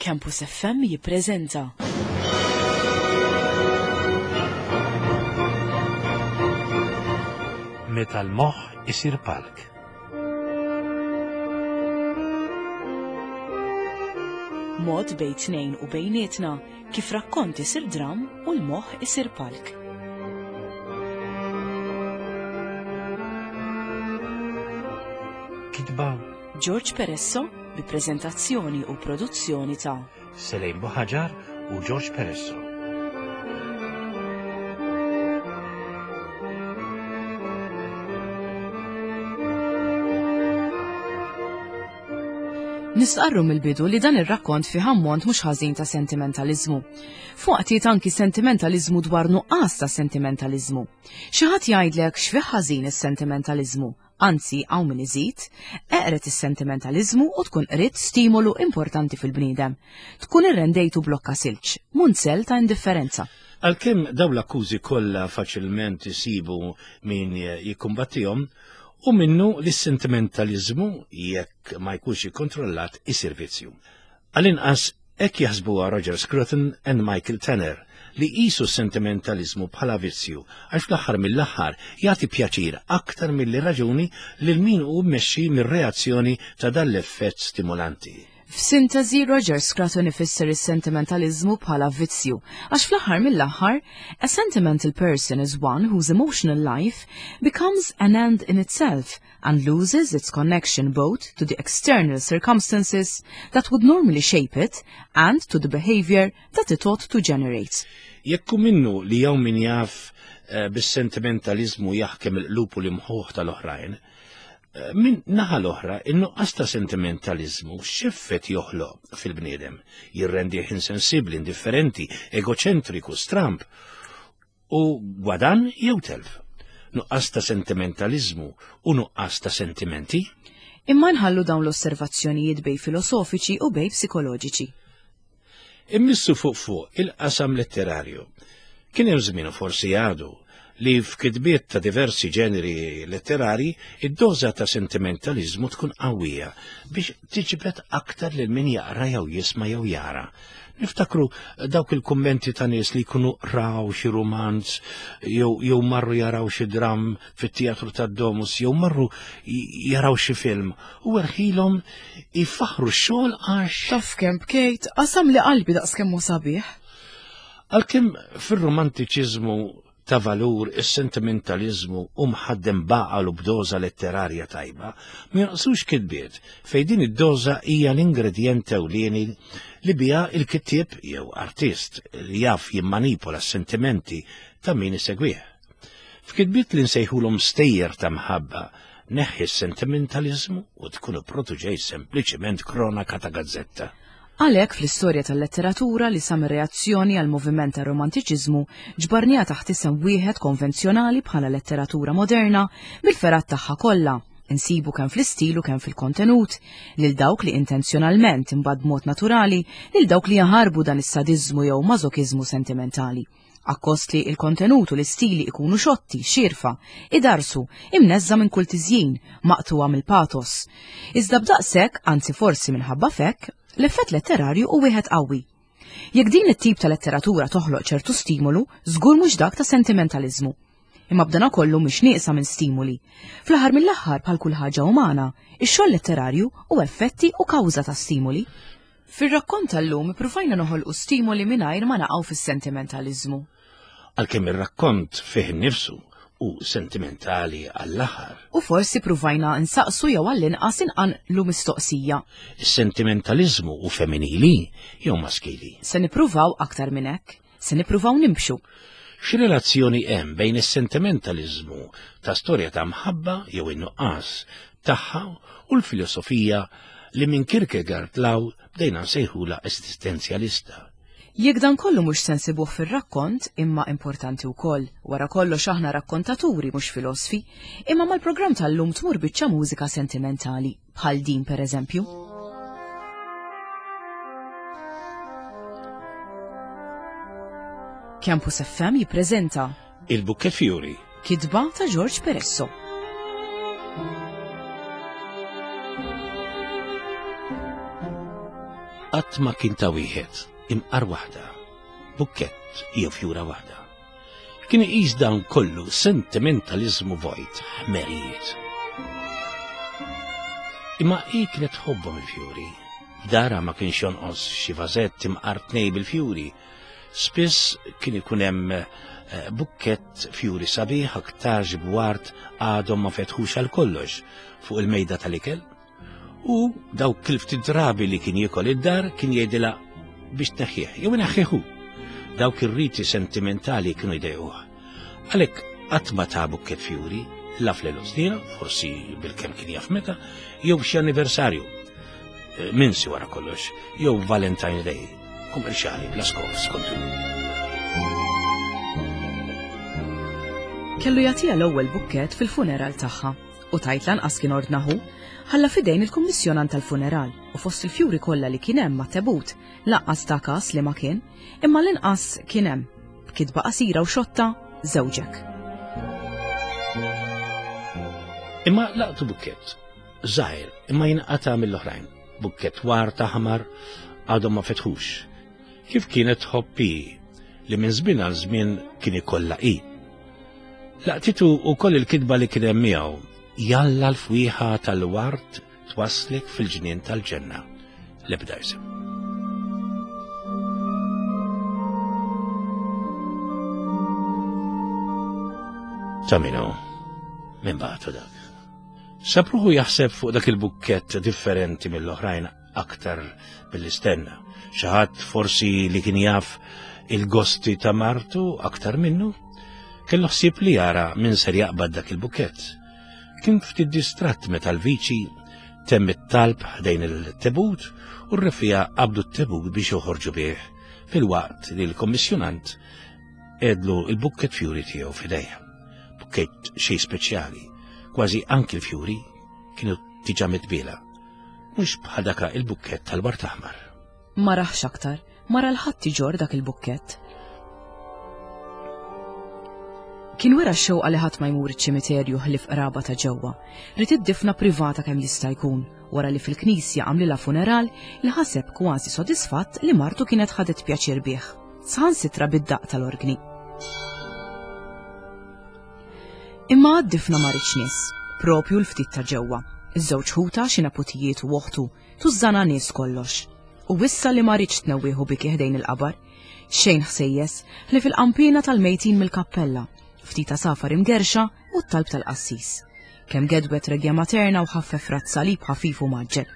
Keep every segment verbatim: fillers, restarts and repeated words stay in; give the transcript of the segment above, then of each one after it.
Campus F M jippreżenta Meta l-moħħ isir palk. Mod bejn tnejn u bejnietna kif rakkont isir dram u l-moħħ isir palk. Kitba George Peresso bi preżentazzjoni u produzzjoni ta' Selejn Buħaġar u George Peresso. Nistqarru mill-bidu li dan ir-rakkont fih ammont mhux ħażin ta' sentimentaliżmu. Fuqtiet anki sentimentaliżmu dwar nuqqas ta' sentimentaliżmu. Xi ħadd jgħidlek x'fih ħażin is-sentimentaliżmu, anzi hawn min iżid, eqret is-sentimentaliżmu u tkun qrid stimolu importanti fil-bniedem. Tkun irrendejtu blokka silġ, munzel ta' indifferenza. Għalkemm dawn l-akkużi kollha faċilment isibu min jikkumbattihom, u minnu li s-sentimentaliżmu jekk ma jkunx ikkontrollat isir vizzju. Għall-inqas hekk jaħsbuha Roger Scruton and Michael Tanner li qisu s-sentimentaliżmu bħala vizzju għax fl-aħħar mill-aħħar jagħti pjaċir aktar milli raġuni lil min hu mmexxi mir-reazzjoni ta' dan l-effett stimulanti. F'sintesi, Roger Scruton ifisser is-sentimentaliżmu bħala vizzju, għax fl-aħħar mill-aħħar, a sentimental person is one whose emotional life becomes an end in itself and loses its connection both to the external circumstances that would normally shape it and to the behavior that it ought to generate. Jekk hu minnu li hawn min jaf, eh, bis-sentimentaliżmu jaħkem il-qlub u l-imħuħ tal-oħrajn, min naħa l-oħra, in-nuqqas ta' sentimentaliżmu x'effett joħloq fil-bniedem, jirrendih insensibbli, indifferenti, egoċentriku, stramb u gwadan jew telf. Nuqqas ta' sentimentaliżmu u nuqqas ta' sentimenti. Imma nħallu dawn l-osservazzjonijiet bej filosofiċi u bej psikoloġiċi. Immissu fuq fuq il-qasam letterarju. Kien hemm żmien u forsi għadu li f'kitbiet ta' diversi ġeneri letterari id-doża ta' sentimentaliżmu tkun qawwija biex tiġbed aktar lil min jaqra jew jisma' jew jara. Niftakru dawk il-kummenti ta' nies li jkunu raw xi rumanz jew, jew marru jaraw xi dram fit-teatru tad-Domus jew marru jaraw xi film u erħilhom ifaħru x-xogħol għax Taf kemm bkejt, qasam li qalbi daqs kemm hu sabiħ. Għalkemm fir-romantiċiżmu ta' valur is-sentimentaliżmu u mħaddem baqal u b'doża letterarja tajba, ma jonqsux kitbiet fejn din id-doża hija l-ingredjent ewlieni li biha il-kittieb jew artist li jaf jimmanipola s-sentimenti ta' min isegwih. F'kitbiet li nsejħulhom stejjer ta' mħabba, neħħi s-sentimentaliżmu u tkun ipproduġej sempliċiment kronaka ta' gazzetta. Għalhekk fl-istorja tal-letteratura li sa mir-reazzjoni għal moviment tar-romantiċiżmu ġbarniha taħt isem wieħed konvenzjonali bħala letteratura moderna bil-ferat tagħha kollha, insibu kemm fl-istil u kemm fil-kontenut, lil dawk li intenzjonalment imbagħad b'mod naturali lil dawk li jaħarbu dan is-sadiżmu jew mażokiżmu sentimentali. Akkost li il-kontenut u l-istili ikunu xotti, xirfa, idarsu, imneżża minn kull tiżjin, maqtuwa mill-patos. Iżda b'daqshekk, anzi forsi minħabba fekk, l-effett letterarju hu wieħed qawwi. Jekk din it-tip ta' letteratura toħloq ċertu stimolu, żgur mhux dak ta' sentimentaliżmu. Imma b'dana kollu mhix nieqsa minn stimuli. Fl-aħħar mill-aħħar bħal kull ħaġa umana, ix-xogħol letterarju hu effetti u kawża ta' stimuli. Fir-rakkont tal-lum ippruvajna noħolqu stimoli mingħajr ma naqgħu fis-sentimentaliżmu. Għalkemm ir-rakkont fih innifsu u sentimentali għall-aħħar. U forsi pruvajna nsaqsu jew għall-inqas inqanqlu mistoqsija. Is-sentimentaliżmu hu femminili jew maskili? Se nippruvaw aktar minn hekk, se nippruvaw nimxu. X'relazzjoni hemm bejn is-sentimentaliżmu ta' storja ta' mħabba jew in-nuqqas tagħha u l-filosofija li minn Kierkegaard law bdejna nsejħulha esistenzjalista? Jekk dan kollu mhux se nsibuh fir-rakkont, imma importanti wkoll, wara kollox aħna rakkontaturi mhux filosfi, imma mal-programm tal-lum tmur biċċa mużika sentimentali, bħal din pereżempju. Campus F M jippreżenta Il-Bouquet Fiori, kitba ta' George Peresso. Qatt ma kien ta' wieħed imqar waħda, bukkett jew fjura waħda. Kien iqis dan kollu sentimentaliżmu vojt, ħmerijiet. Imma hi kienet tħobbhom il-fjuri. F'darha ma kienx jonqos xi vażett imqar tnej bil-fjuri. Spiss kien ikun hemm eh, bukkett fjuri sabiħ aktarx b'ward għadhom ma fetħux għal kollox fuq il-mejda tal-ikel. U dawk il-ftit drabi li kien jiekol id-dar kien jgħidilha biex tneħħih, jew ineħħihu. Dawk ir-riti sentimentali kienu jdejquh. Għalhekk qatt ma ta bukkett fjuri, la fl-għeluq snina, forsi bil-kemm kien jaf meta, jew xi anniversarju. Eh, Minsi wara kollox, jew Valentine's Day, kummerċjali bla skop skontu. Kellu jagħtiha l-ewwel bukkett fil-funeral tagħha u tajt lanqas kien ordnahu, ħalla fidejn il-kummissjonant tal-funeral u fost il-fjuri kollha li kien hemm mat-tebut lanqas ta' kas li ma kien, imma l-inqas kien hemm b'kitba qasira u xotta żewġek. Imma laqtu bukkett, żgħir, imma jinqata' mill-oħrajn. Bukkett ward aħmar għadhom ma fetħux. Kif kienet tħobb hi, li minn żmien għal żmien kien ikollha hi. Laqtitu wkoll il-kitba li kien hemm miegħu, jalla l-fwieħa tal-ward twaslek fil-ġnien tal-ġenna. L-ebda isem. Ta' minu, minn bagħtu dak. Sapruħu jaħseb fuq dak il-bukkett differenti mill-oħrajn aktar mill-istenna. Xi ħadd forsi li kien jaf il-gosti ta' martu aktar minnu, kellu ħsieb li jara min ser jaqbad dak il-bukkett. Kien ftit distratt meta l-viċi temm it-talb ħdejn il-tebut u r-refija qabdu t-tebut biex joħorġu bih fil-waqt li l-kommissjonant edlu il-bukkett fjuri tiegħu f'idejha. Bukkett xej speċjali, kważi anki l-fjuri kienu diġà mitbiela. Mhux bħal daka il-bukkett tal-ward aħmar. Ma raħx aktar, ma ra l-ħadd iġorr dak il-bukkett. Kien wera x-xewqa li ħadd ma jmur iċ-ċimiterju ħlief qraba ta' ġewwa. Ried id-difna privata kemm jista' jkun, wara li fil-knisja għamlilha funeral li ħaseb kważi sodisfatt li martu kienet ħadet pjaċir bih. Saħansitra bid-daqq tal-organi. Imma għad-difna ma riedx nies, propju l-ftit ta' ġewwa. Iż-żewġ ħuta xi neputijiet u oħtu, tużżana nies kollox. U wissa li ma riedx tnewwieħu biki ħdejn il-qabar. Xejn ħsejjes li fil-qampina tal-mejtin mill-kappella, ftit safar imgerxa u t-talb tal-qassis. Kemm gedwet regja materna u ħaffef rat salib ħafif u maġġel.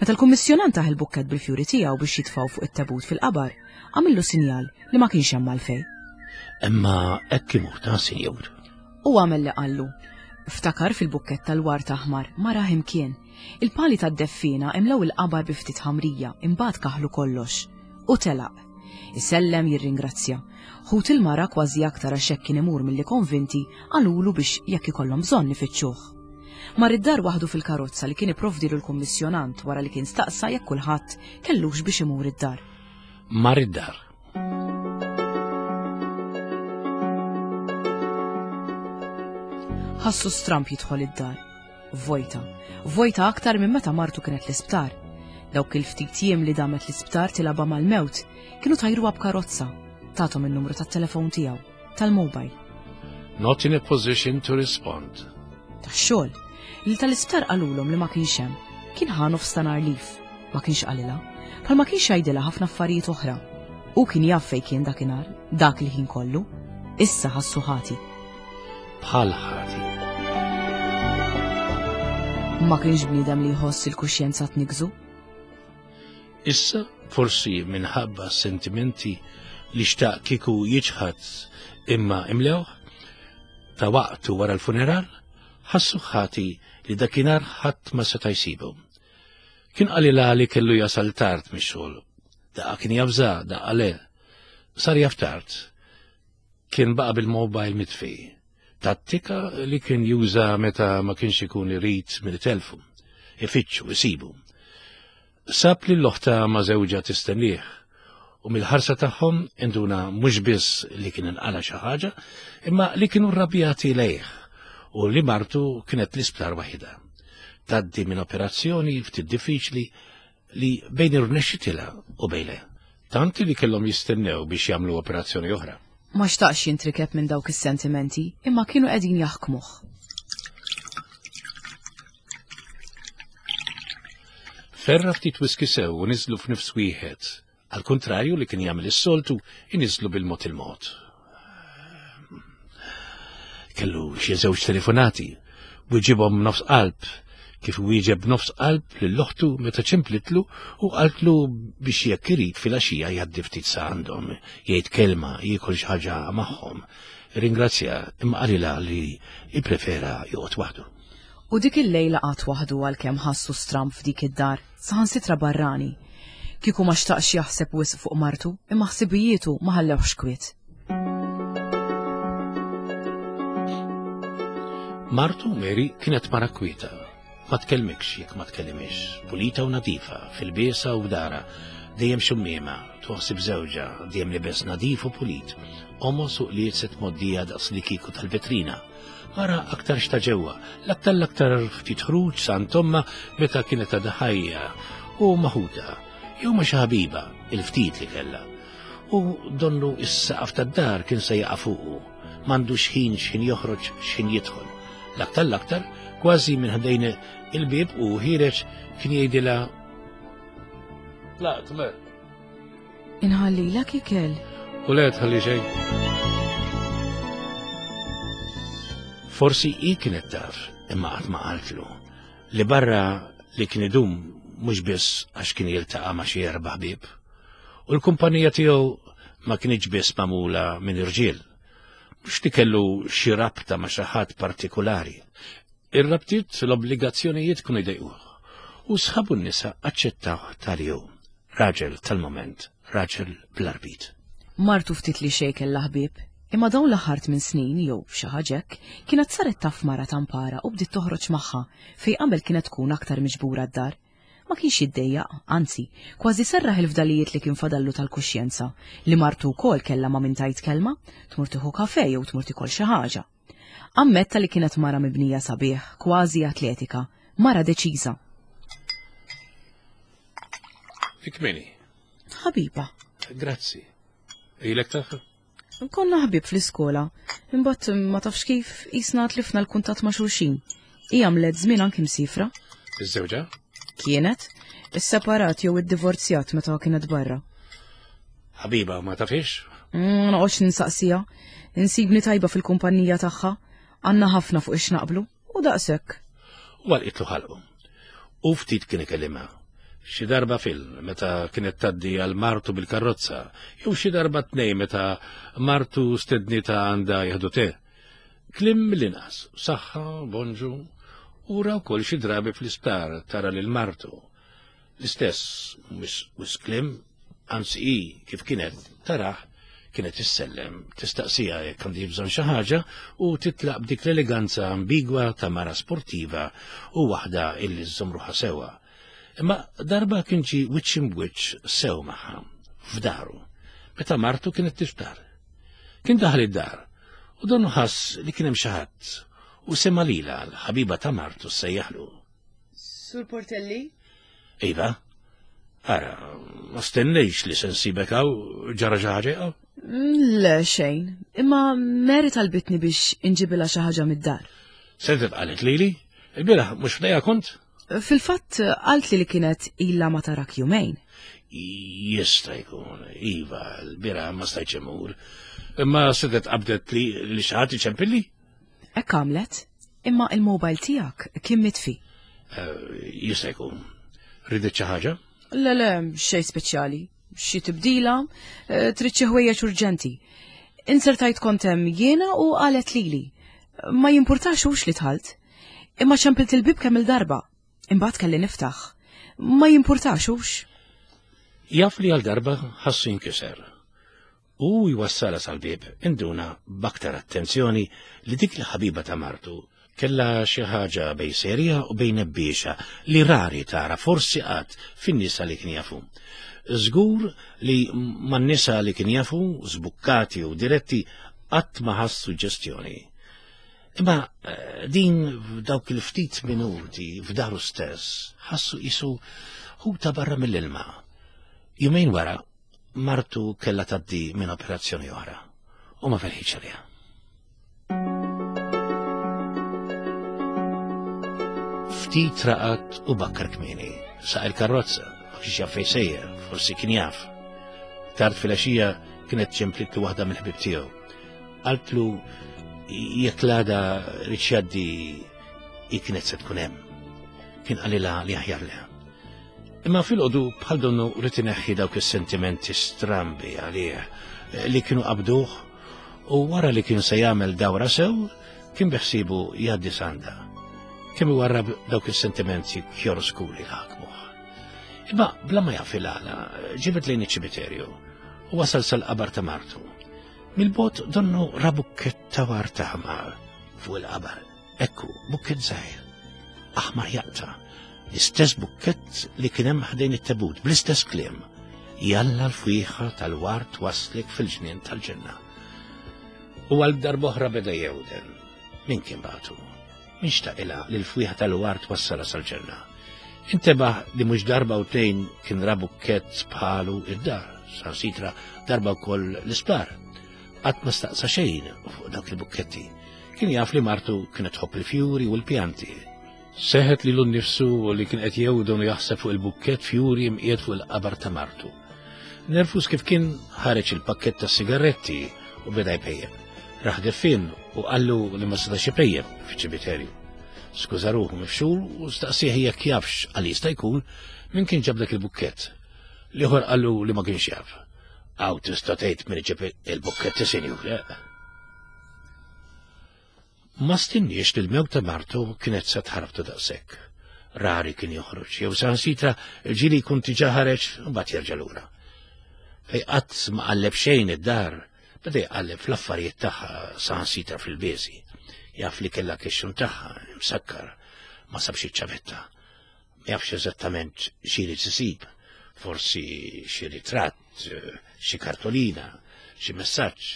Meta l-kummissjonant taħ il-bukkett bil-fjuri tiegħu biex jitfgħu fuq it-tebut fil-qabar, għamillu sinjal li ma kienx hemm għalfejn. Imma hekk imur ta' sinjur. U għamel li qallu. Ftakar fil-bukkett tal-ward aħmar, ma rah imkien. Il-pali tad-deffina imlew il-qabar bi ftit ħamrija, imbagħad kaħlu kollox. U telaq. Isellem jirringrazzja. Ħut il-mara kważi aktar għax hekk kien imur milli konvinti qalulu biex jekk ikollhom bżonn ifittxuh. Mar id-dar waħdu fil-karozza li kien ipprovdilu l-kummissjonant wara li kien staqsa jekk kulħadd kellux biex imur id-dar. Mar id-dar. Ħassu stramp jidħol id-dar. Vojta. Vojta aktar minn meta martu kienet l-isptar. Dawk il-ftit jiem li damet l-isptar tilaba mal-mewt kienu tajruha b'karozza. Tathom in-numru tat-telefon tiegħu, tal-mobile. Not in a position to respond. Tax-xogħol. Li tal-isptar qalulhom li ma kienx hemm. Kien ħa nofs ta' nhar leave. Ma kienx qalilha. Bħal ma kienx jgħidilha ħafna affarijiet oħra. U kien jaf fejn kien dakinhar, dak il-ħin kollu. Issa ħassu ħati. Bħal ħati. Ma kienx bniedem li jħoss il-kuxjenza tnigżu. Issa, forsi minħabba sentimenti li xtaq kieku jiċħad imma imlewh, ta' waqtu wara l-funeral, ħassu ħati li dakinhar ħadd ma seta' jsibu. Kien qalilha li kellu jasal tard mix-xogħol. Daqqa kien jafża, daqqa le. Sar jaf tard. Kien baqa' bil-mobile mitfi. Tattika li kien juża meta ma kienx ikun irid mill-telfu. Ifittxu, isibu. Sab li l-oħta ma' żewġha tistennieh u mill-ħarsa tagħhom induna mhux biss li kien inqala xi ħaġa, imma li kienu rrabjati lejh u li martu kienet l-isptar waħida. Taddi minn operazzjoni ftit diffiċli li bejn irnexxitilha u bejn le. Tanti li kellhom jistennew biex jagħmlu operazzjoni oħra. Ma xtaqx jintrikeb minn dawk is-sentimenti, imma kienu qegħdin jaħkmuh. Ferra ftit whisky sew u niżlu f'nifs wieħed. Għal kontrarju li kien jagħmel is-soltu, iniżlu bil-mod il-mod. Kellu xi żewġ telefonati, wieġibhom nofs qalb, kif wieġeb nofs qalb lil oħtu meta ċemplitlu u qaltlu biex jekk irid filgħaxija jgħaddi ftit sa għandhom, jgħid kelma, jiekol xi ħaġa magħhom. Ringrazzja imma qalilha li jipprefera joqgħod waħdu. U dik il-lejla qagħad waħdu għalkemm ħassu stramb f'dik id-dar, saħansitra barrani. Kieku ma xtaqx jaħseb wisq fuq martu, imma ħsibijietu ma ħallewx kwiet. Martu Mary kienet mara kwieta. Ma tkellmikx jekk ma tkellimix, pulita u nadifa, fil-biesa u b'dara, dejjem xummiema, tuħsib żewġha, dejjem libes nadif u pulit, omos u qliet moddija daqs li kieku tal-vetrina. Mara aktar xta ġewwa, l-aktar l-aktar ftit ħruġ sa tomma meta kienet għadha ħajja u maħuda, jew ma xi ħabiba, il-ftit li kellha. U donnu is-saqaf tad-dar kien se jaqa' fuqu, m'għandux ħin x'ħin joħroġ x'ħin jidħol. L-aktar l-aktar, kważi minn ħdejn il-bieb u ħireġ kien jgħidilha Tlaqt, mer. Inħallilek ikel. U le tħalli xejn. Forsi hi kienet taf, imma qatt ma qaltlu, li barra li kien idum mhux biss għax kien jiltaqa' ma' xi erba' ħbieb. U l-kumpanija tiegħu ma kienx biss magħmula minn irġiel. Mhux li kellu xi rabta ma' xi ħadd partikulari. Ir-rabtiet l-obbligazzjonijiet kienu jdejquh. U sħabu n-nisa aċċettaw tal-jew. Raġel tal-moment, raġel bl-arbit. Martu ftit li xejn kellha ħbieb, imma dawn l-aħħar tmien snin jew xi ħaġa hekk kienet saret taf mara tampara u bdiet toħroġ magħha fejn qabel kienet tkun aktar miġbura d-dar. Ma kienx jiddejjaq, anzi, kważi serraħ il-fdalijiet li kien fadallu tal-kuxjenza li martu wkoll kellha ma' min tajt kelma, tmur tieħu kafè jew tmur tikol xi ħaġa. Ammetta li kienet mara mibnija sabiħ, kważi atletika, mara deċiża. Dik min hi? Ħabiba. Grazzi. Ilek tafha? Konna ħbieb fl-iskola, imbagħad ma tafx kif qisna tlifna l-kuntatt ma' xulxin. Hija għamlet żmien anki msifra. Iż-żewġa? Kienet, isseparat jew iddivorzjat meta kienet barra. Ħabiba ma tafix? Ma noqgħodx ninsaqsiha, insibni tajba fil-kumpanija tagħha, għandna ħafna fuq ix naqblu u daqshekk. U għalqitlu ħalqu. U ftit kien ikellimha. Xi darba fil meta kienet tgħaddi għal martu bil-karozza, jew xi darba tnejn meta martu stednita għandha jieħdu te. Kliem mill-inqas, saħħa, bonġu, u ra wkoll xi drabi fl-isptar tara lil martu. L-istess mhux kliem, anzi hi kif kienet taraħ kienet issellem, tistaqsija jekk għandi bżonn xi ħaġa u titlaq b'dik l-eleganza ambigwa ta' mara sportiva u waħda illi żżomm ruħha sewwa. Imma darba kien ġie wiċċ imbwiċċ sew magħha, f'daru, meta martu kienet tiftar. Kien daħal id-dar u donnu ħass li kien hemm xi ħadd u sema' lilha l-ħabiba ta' martu ssejjaħlu. Sur Portelli? Iva, ara, ma stennejx li se nsibek hawn ġara xi ħaġa hawn? Le xejn, imma Mary talbitni biex inġibilha xi ħaġa mid-dar. Sedet qalet lili? Il-bieraħ mhux f'dejja kont? Fil-fatt qaltli li kienet ilha ma tarak jumejn. Jista' jkun, iva, l-bieraħ ma stajtx imur. Imma sedet qabdet li li xi ħadd iċempilli? Hekk għamlet, imma il-mobile tiegħek kien mitfi. Jista' jkun. Ridet xi ħaġa? Le, le, xejn speċjali. Xi tibdila, trid xi ħwejjeġ urġenti. Insertajt kont hemm jiena u qalet lili. Ma jimpurtax hux li tħalt. Imma ċempilt il-bib kemm il-darba. Imbagħad kelli niftaħ. Ma jimpurtax hux. Jaf li għal darba ħassu jinkiser. U jwassala sal-bib induna b'aktar attenzjoni li dik il-ħabiba ta' martu kellha xi ħaġa bejn serja u bejn nebbiexa li rari tara forsi qatt fin-nisa li kien jafu. Żgur li man-nisa li kien jafu, żbukkati u diretti, qatt ma ħass suġġestjoni. Imma eh, din f'dawk il-ftit minuti f'daru stess ħassu qisu ħuta barra mill-ilma. Jumejn wara, martu kellha tgħaddi minn operazzjoni oħra u ma felħitx għaliha. Ftit raqad u bakkar kmieni, saq il-karozza, ma kienx jaf fejn sejjer, forsi kien jaf. Tard filgħaxija kienet ċemplitlu waħda mill-ħbieb tiegħu. Qaltlu jekk l-għada ried jgħaddi hi kienet se tkun hemm. Kien qalilha li aħjar leha. Imma filgħodu bħal donnu ried ineħħi dawk is-sentimenti strambi għalih li kienu qabduh u wara li kien se jagħmel dawra sew kien biħsibu jgħaddi sanda. Kemm iwarrab dawk is-sentimenti kjoroskuli li ħakmuh. Imma bla ma jaf il-għala ġibed lejn iċ-ċimiterju u wasal sal-qabar ta' martu. Mill-bogħod donnu ra bukkett ta' ward aħmar fuq il-qabar. Ekku, bukkett żgħir, aħmar jaqta', l-istess bukkett li kien hemm ħdejn it-tebut, bl-istess kliem. Jalla l-fwieħa tal-ward waslek fil-ġnien tal-ġenna. U għal darb'oħra beda jewden. Min kien bagħtu? Min xtaqilha li l-fwieħa tal-ward wassala sal-ġenna? Intebaħ li mhux darba u tnejn kien ra bukkett bħalu id-dar, saħansitra darba wkoll l-isptar. Qatt ma staqsa xejn fuq dawk il-bukketti. Kien jaf li martu kienet tħobb il-fjuri u l-pjanti. Seħet lilu nnifsu li kien qed jewdon u jaħseb fuq il-bukkett fjuri mqiegħed fuq il-qabar ta' martu. Nervus kif kien ħareġ il-pakkett ta' sigaretti u beda jpejjep. Raħ deffien u qallu li ma setax ipejjep fiċ-ċimiterju. Skuża ruħu mifxul u staqsih jekk jafx għal jista' jkun min kien ġab dak il-bukkett. L-ieħor qallu li ma kienx jaf. Aw tista' tgħid min iġib il-bukketti, sinjur. Ma stinniex li l-mewt ta' martu kienet se tħarbtu daqshekk. Rari kien joħroġ, jew saħansitra ġieli jkun diġà ħareġ u mbagħad jerġa' lura. Fej qatt ma qalleb xejn id-dar, beda jqalleb fl-affarijiet tagħha saħansitra fil-biesi. Jaf li kellha kixxun tagħha msakkar, ma sabx iċ-ċavetta. Ma jafx eżattament xi jrid isib, forsi xi ritratt, xi kartolina, xi messaġġ,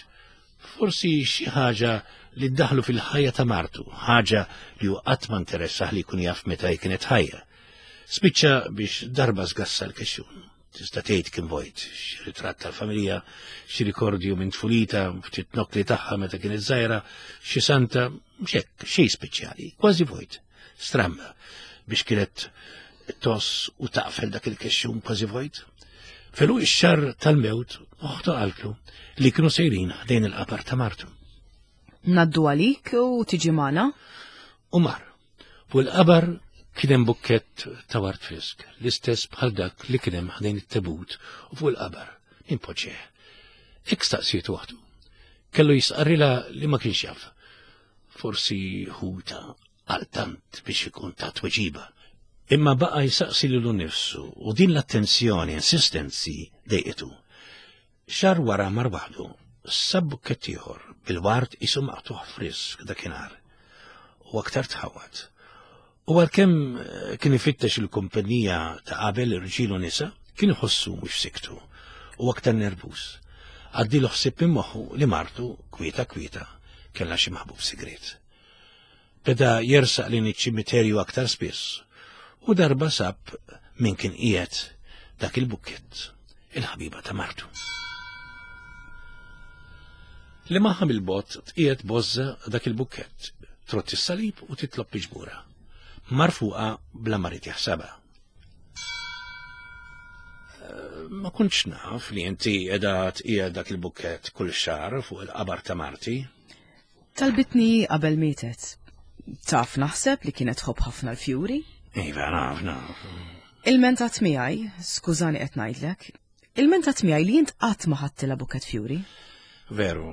forsi xi ħaġa li ddaħlu fil-ħajja ta' martu, ħaġa li hu qatt ma interessah li jkun jaf meta hi kienet ħajja. Spiċċa biex darba żgassa l-kexxun. Tista' tgħid kien vojt, xi ritratt tal-familja, xi rikordju minn tfulita, ftit nokli tagħha meta kienet żgħira, xi santa, xek, xejn speċjali, kważi vojt. Stramba biex kienet toss u taqfel dak il-kexxun kważi vojt. Felu ix-xar tal-mewt oħtu qaltlu li kienu sejrin ħdejn il-qabar ta' martu. Naddu għalik u tiġi magħna? U mar. Fuq il-qabar kien hemm bukkett ta' ward frisk, l-istess bħal dak li kien hemm ħdejn it-tebut u fuq il-qabar, min poġġeh. Hekk staqsiet waħdu. Kellu jisqarrilha li ma kienx jaf. Forsi ħuta għal tant biex ikun ta' tweġiba. Imma baqa' jsaqsi lilu nnifsu u din l-attenzjoni, insistenzi dejqitu. Xahar wara mar waħdu, sab bukkett ieħor bil-ward qisu maqtugħ frisk dakinhar u aktar tħawwad. U għalkemm kien ifittex il-kumpanija ta' qabel irġiel u nisa, kien iħossu mhux siktu u aktar nervuż. Għaddilu ħsieb minn moħħu li martu kwieta kwieta kellha xi maħbub sigriet. Beda jersaq lejn iċ-ċimiterju aktar spiss u darba sab min kien qiegħed dak il-bukkett, il-ħabiba ta' martu. Li magħha mill-bogħod tqiegħed bożża dak il-bukkett, trotti s-salib u titlob miġbura. Mar fuqha bla ma ried jaħsabha. Ma kontx naf li inti qiegħda tqiegħed dak il-bukkett kull xahar fuq il-qabar ta' marti. Talbitni qabel mietet. Taf naħseb li kienet tħobb ħafna l-fjuri? Iva, naf, naf. Il-mentat miegħi, skużani qed ngħidlek, il-mentat miegħi li int qatt ma ħadtilha bukkett fjuri. Veru,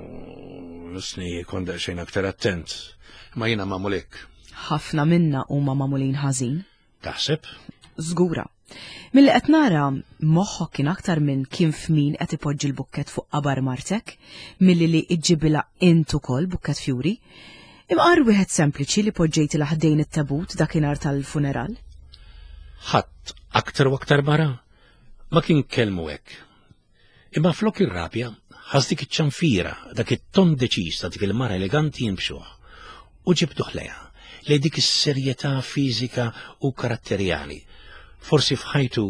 sni kont daqsxejn aktar attent, ma jiena magħmul hekk. Ħafna minna huma magħmulin ħażin. Taħseb? Żgura. Milli qed nara, moħħok kien aktar minn kien f'min qed ipoġġi l-bukkett fuq qabar martek, milli li iġġibilha int ukoll bukkett fjuri. Imqar wieħed sempliċi li poġġejtilha ħdejn it-tabut dakinhar tal-funeral. Ħadd aktar u aktar mara ma kien kellmu hekk. Imma flok ir-rabja ħass dik iċ-ċanfira, dak it-ton deċiż ta' dik il-mara eleganti jimbxuh. U ġibduh lejha, lejn dik is-serjetà fiżika u karatterjali. Forsi f'ħajtu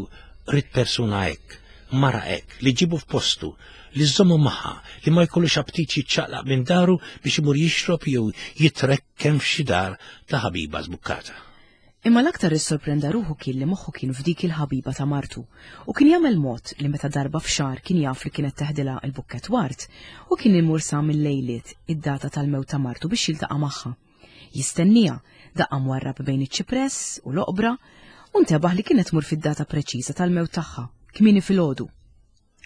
ried persuna hekk, mara hekk, li ġibu f'postu, li żommu magħha, li ma jkollux aptit jiċċaqlaq minn daru biex imur jixrob jew jitrekken f'xi dar ta' ħabiba żbukkata. Imma l-aktar issorprenda ruħu kien li moħħu kien f'dik il-ħabiba ta' martu u kien jagħmel mod li meta darba f'xahar kien jaf li kienet teħdilha il-bukkett ward u kien imur sa mill-lejliet id-data tal-mewt ta' martu biex jiltaqa' magħha. Jistenniha, daqqa mwarrab bejn iċ-ċipress u l-oqbra u ntebaħ li kienet tmur fid-data preċiża tal-mewt tagħha, kmieni filgħodu.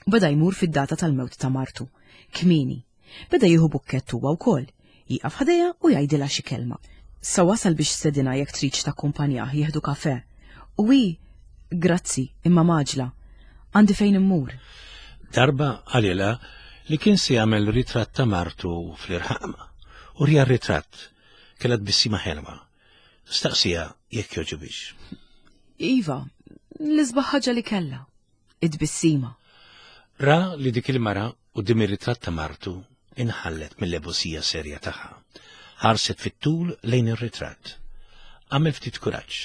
Beda jmur fid-data tal-mewt ta' martu, kmieni. Beda jieħu bukkett huwa wkoll, jieqaf ħdejha u jgħidilha xi kelma. Sa wasal biex stedinha jekk tridx takkumpanjah jieħdu kafè. U hi, grazzi, imma mgħaġġla. Għandi fejn immur. Darba qalilha li kien se jagħmel ritratt ta' martu fl-irħam. U wriha r-ritratt, kellha tbissima ħelwa. Staqsiha jekk jogħġobhiex. Iva, l-isbaħ ħaġa li kellha, it-tbissima. Ra li dik il-mara quddiem ir-ritratt ta' martu inħallet mill-ebusija serja tagħha. Ħarset fit-tul lejn ir-ritratt. Għamel ftit kuraġġ.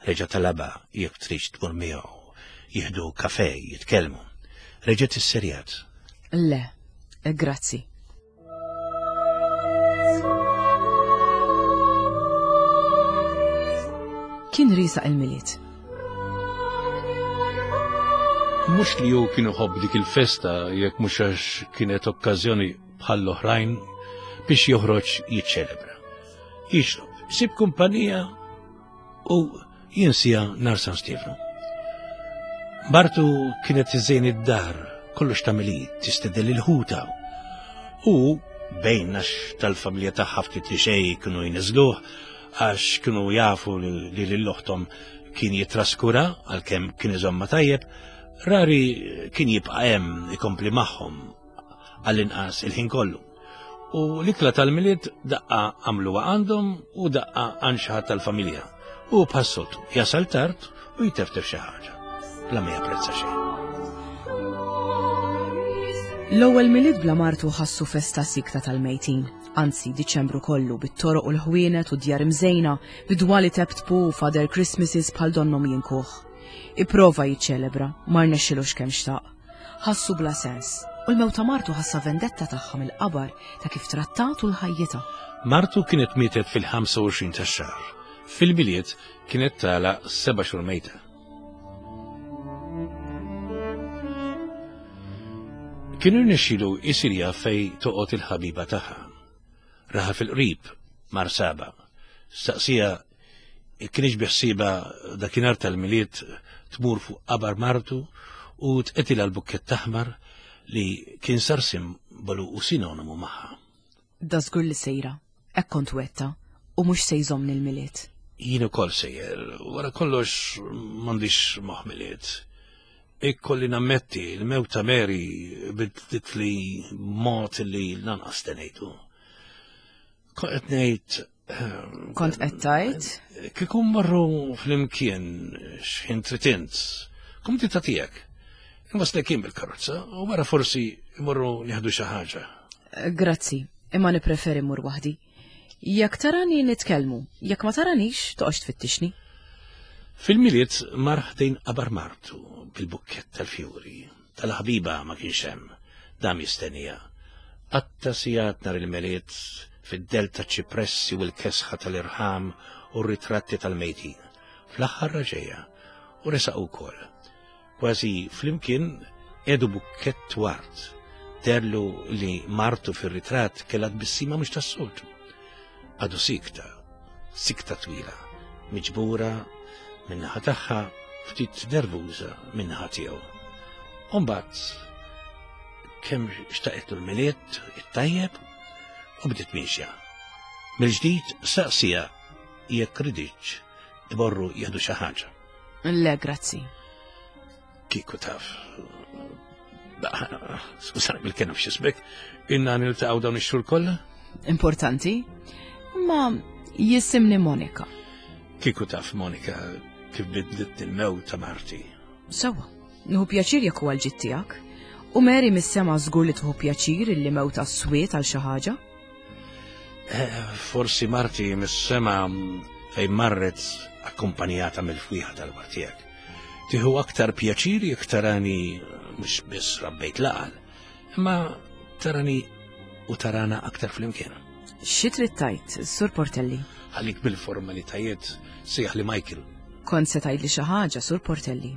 Reġa' talabha jekk tridx tmur miegħu, jieħdu kafè, jitkellmu. Reġgħet isserjat. Le, grazzi. Kien riesaq il-Milied. Mhux li hu kien iħobb dik il-festa jekk mhux għax kienet okkażjoni bħall-oħrajn biex joħroġ jiċċelebra. Jixrob, isib kumpanija u jinsija nhar San Stiefnu. Martu kienet iżżejn id-dar, kollox tagħmel, tistedel il-ħuta. U bejn għax tal-familja tagħha ftit li xejn kienu jniżluh għax kienu jafu li lil oħthom kien jitraskura għalkemm kien iżomma tajjeb, rari kien jibqa' hemm ikompli magħhom għall-inqas il-ħin kollu. U l-ikla tal-Milied daqqa għamluha għandhom u daqqa għand xi ħadd tal-familja. U bħas-soltu jasal tard u jteftef xi ħaġa. Bla ma japprezza xejn. L-ewwel Milied bla martu ħassu festa sikta tal-mejtin. Anzi, Diċembru kollu bit-toroq u l-ħwienet u djar imżejna, bidwali teptpu u Father Christmases bħal donnom jinkuh. Ipprova jiċċelebra, ma rnexxilux kemm xtaq. Ħassu bla sens. U l-mewt ta' martu ħassa vendetta tagħha mill-qabar ta' kif trattatu l-ħajjitha. Martu kienet mietet fil-ħamsa u għoxrin tax-xahar. Fil-Milied kienet tala seba' xhur mejta. Kien irnexxielu jsir jaf fejn toqgħod il-ħabiba tagħha. Raha fil-qrib, mar saba. Staqsija kienx biħsiba dakinhar tal-Milied tmur fuq qabar martu u tqetilha l-bukkett aħmar li kien sar simbolu u sinonimu magħha. Da żgur li sejra, hekk kont wetta, u mhux se jżommni l-Milied. Jien ukoll sejjer, wara kollox m'għandix moħħ Milied. Ikkolli nammetti l-mewt ta' Mary bidlitli mod li lanqas tenejtu. Kont qed ngħid, Kont qed tgħid? Kieku mmorru flimkien x'ħin trid int, kumdità tiegħek. Inwaslek jien bil-karozza u wara forsi mmorru nieħdu xi ħaġa. Grazzi, imma nippreferi mmur waħdi. Jekk tarani nitkellmu, jekk ma taranix toqgħodx tfittixni. Fil-Milied mar ħdejn qabar martu bil-bukkett tal-fjuri. Tal-ħabiba ma kienx hemm, dam jistennija. Qatta sigħat nhar il-Milied fid-del ta' ċipressi u l-kesħa tal-irħam u r-ritratti tal-mejtin. Fl-aħħar raġeja u resaq ukoll. Kważi flimkien edu bukkett ward. Derlu li martu fir-ritratt kellha tbissima mhux tas-soltu. Għadu sikta, sikta twila, miġbura min-naħa tagħha ftit nervuża min-naħa tiegħu. U mbagħad kemm xtaqetlu l-Milied it-tajjeb u bdiet miexja. Mill-ġdid saqsija jekk riditx tmorru jieħdu xi ħaġa. Le, grazzi. Kieku taf. Skużani bil-kelma f'xismek, inna niltaqgħu dawn ix-xhur kollha? Importanti, ma jisimni Monika. Kieku taf, Monika, kif bidlit il-mewt ta' marti. Sewa, nieħu pjaċir jekk huwa l-ġid tiegħek. U Mary mis-sema żgur li tieħu pjaċir illi mewta swiet għal xi ħaġa. Eh, forsi marti mis-sema fejn marret akkumpanjata mill-fwieħa tal-partijak. Tieħu aktar pjaċir jekk tarani mhux biss rabbejt laqal, imma tarani u tarana aktar flimkien. Xi trid tgħid, Sur Portelli? Ħallik bil-formalitajiet sejjaħ li Michael. Kont se tgħidli xi ħaġa, Sur Portelli.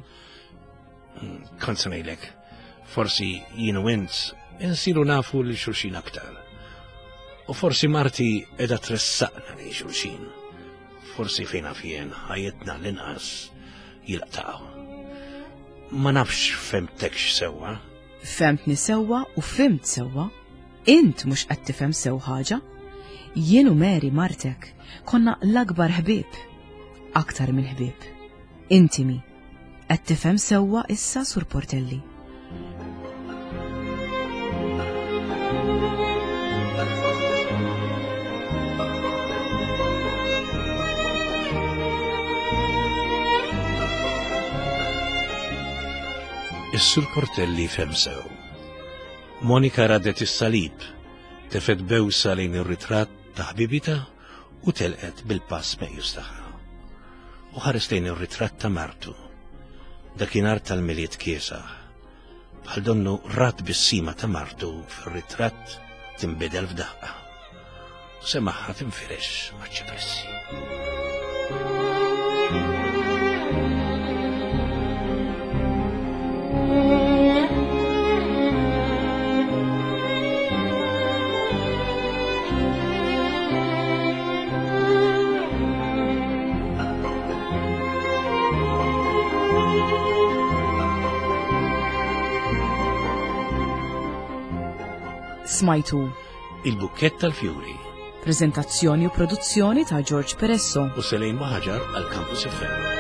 Kont se ngħidlek, forsi jien u int insiru nafu lil xulxin aktar. U forsi marti qiegħda tressaqna lejn xulxin. Forsi fejn naf jien ħajjitna l-inqas jiltaqgħu. Ma nafx fhimtekx sewwa. Fhimtni sewwa u fhimt sewwa. Int mhux qed tifhem sew ħaġa. Jien u Mary martek konna l-akbar ħbieb. Aktar minn ħbieb. Intimi. Qed tifhem sewwa issa, Sur Portelli. Is-Sur Portelli fehem sew. Monika raddet is-salib, tefgħet bewsa lejn ir-ritratt ta' ħbibitha u telqet bil-pass meqjus tagħha. U ħares lejn ir-ritratt ta' martu. Dakinhar tal-Milied kiesaħ. Bħal donnu ra t-tbissima ta' martu fir-ritratt tinbidel f'daqqa. U semagħha tinfirex maċ-ċipressi. Smajtu Il-Bukkett tal-Fjuri. Prezentazzjoni u produzzjoni ta' George Peresso u Selejn Maħaġar għal Campus F M.